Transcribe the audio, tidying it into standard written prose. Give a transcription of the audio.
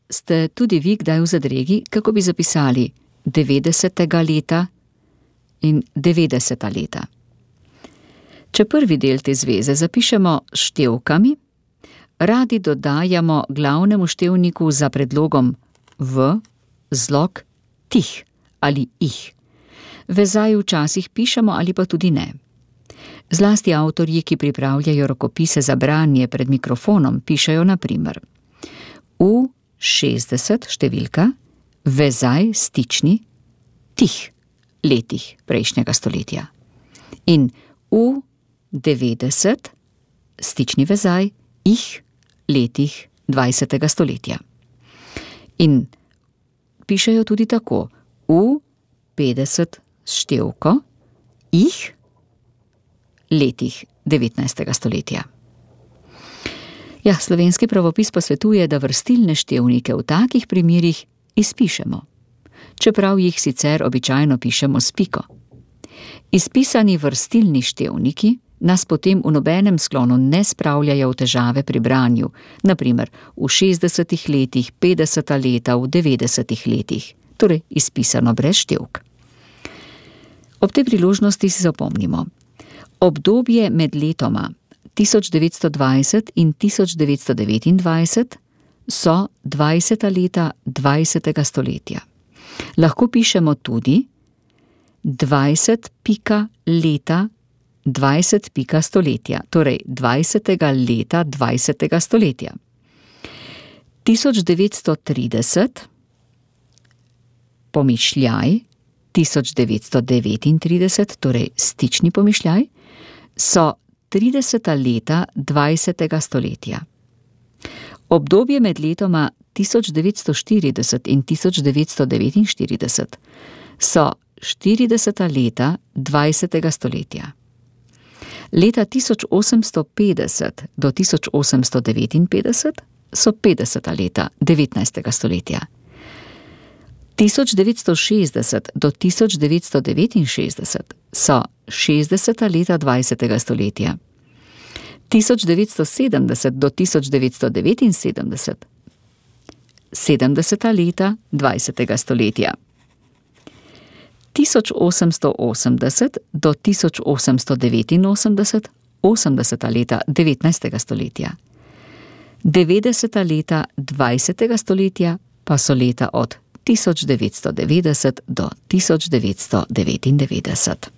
Ste tudi vi kdaj v zadregi, kako bi zapisali 90. leta in 90. leta? Če prvi del te zveze zapišemo s števkami, radi dodajamo glavnemu števniku za predlogom v zlog tih ali ih. Vezaj včasih pišemo ali pa tudi ne. Zlasti avtorji, ki pripravljajo rokopise za branje pred mikrofonom, pišejo na primer v 60 številka, vezaj stični tih letih prejšnjega stoletja. In v 90 stični vezaj ih letih 20. stoletja. In pišejo tudi tako v 50 števko ih letih 19. stoletja. Ja, slovenski pravopis pa svetuje, da vrstilne števnike v takih primerih izpišemo, čeprav jih sicer običajno pišemo s piko. Izpisani vrstilni števniki nas potem v nobenem sklonu ne spravljajo v težave pri branju, na primer v 60 letih, 50 leta, v 90 letih, torej izpisano brez števk. Ob tej priložnosti si zapomnimo, obdobje med letoma 1920 in 1929 so 20. leta 20. stoletja. Lahko pišemo tudi 20 pika leta 20 pika stoletja, torej 20. leta 20. stoletja. 1930 pomišljaj 1939, torej stični pomišljaj, so 30. leta 20. stoletja. Obdobje med letoma 1940 in 1949 so 40. leta 20. stoletja. Leta 1850 do 1859 so 50. leta 19. stoletja. 1960 do 1969 so 60. leta 20. stoletja. 1970 do 1979 70. leta 20. stoletja. 1880 do 1889 80. leta 19. stoletja. 90. leta 20. stoletja pa so leta od 1990 do 1999.